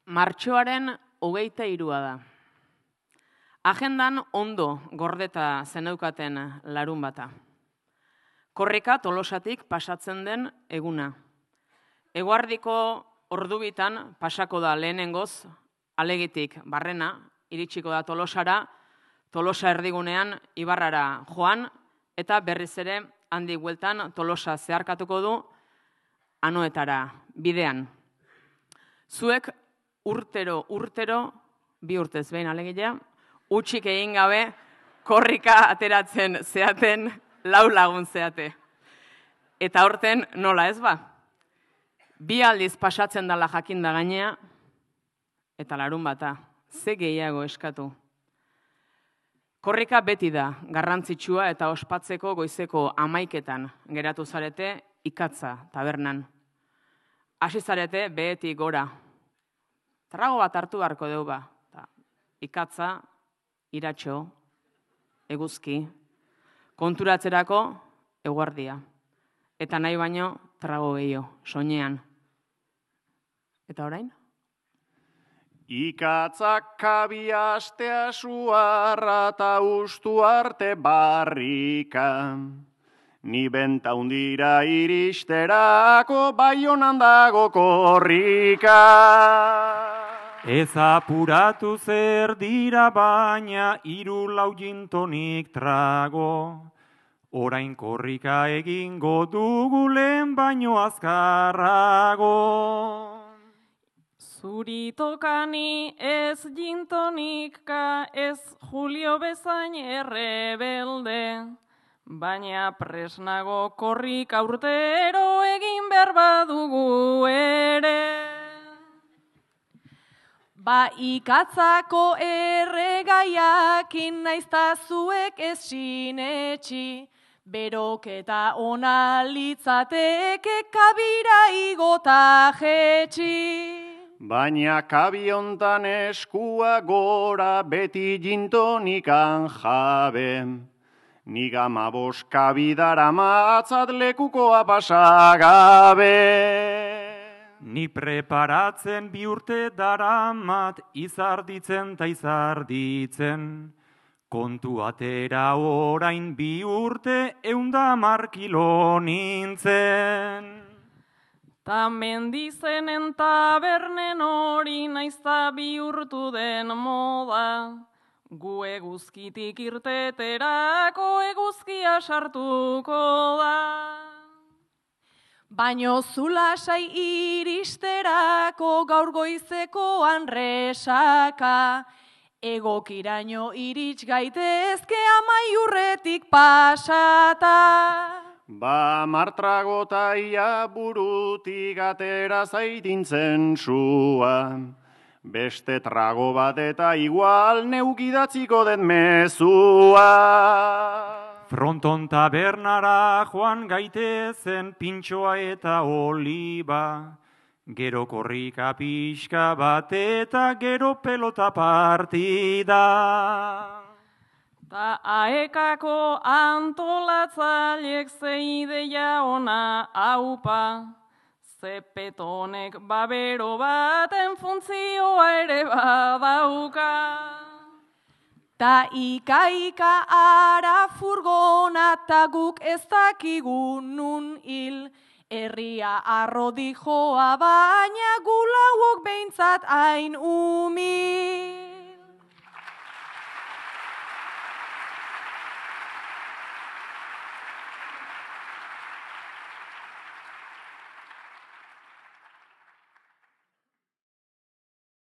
Martxoaren 23 da. Agendan ondo gordeta zeneukaten larun bata. Korrika Tolosatik pasatzen den eguna. Eguardiko ordubitan pasako da lehenengoz, Alegitik barrena, iritsiko da Tolosara, Tolosa erdigunean Ibarrara joan, eta berriz ere handik bueltan Tolosa zeharkatuko du Anoetara bidean. Zuek urtero, 2 urtez behin alegia, utxik egin gabe korrika ateratzen zeaten 4 lagun zeate. Eta horten nola ez ba? 2 aldiz pasatzen dala jakinda gainea, eta larun bata, ze gehiago eskatu. Korrika beti da, garrantzitsua eta ospatzeko goizeko 11etan geratu zarete Ikatza tabernan. Hasi zarete behetik gora. Trago bat hartu beharko deu ba. Ikatza, iratxo, eguzki, konturatzerako eguardia. Eta nahi baino trago gehiago, soinean. Eta orain? Ikatzak kabia astea suarra ta ustu arte barrika. Ni benta undira iristerako Baionan dago korrika. Ez apuratu zer dira baina 3-4 gintonik trago. Orain korrika egingo dugu lehen baino azkarrago. Zuritokani ez gintonika ez Julio bezain errebelde. Baina presnago korrika urtero egin behar badugu ere. Ba Ikatzako erregaiakin naizta zuek ez sinetxi, beroketa ona litzateke kabira igota jetxi. Baina kabiontan eskua gora beti gintonikan jabe. Nik 15 kabidara matzat lekukoa pasagabe. Ni preparatzen 2 urte daramat izarditzen ta izarditzen. Kontu atera orain 2 urte 110 kilo nintzen. Ta mendizenen tabernen hori naizta bihurtu den moda. Gu eguzkitik irteterako eguzkia sartuko da. Baino zulasai iristerako gaur goizekoan resaka. Egokiraino irits gaitezke Amaiurretik pasata. Ba martragotaia burutik atera zaitintzen sua. Beste trago bat eta igual neukidatziko den mezua. Fronton tabernara joan gaitezen pintxoa eta oliba. Gero korrika pixka bat eta gero pelota partida. Ta aekako antolatzaileek ze ideia ona aupa. Zepetonek babero baten funtzioa ere badauka. Ta ika ara furgona ta guk ez dakigu nun hil. Herria arrodi joa baina gu lauok behintzat hain umil.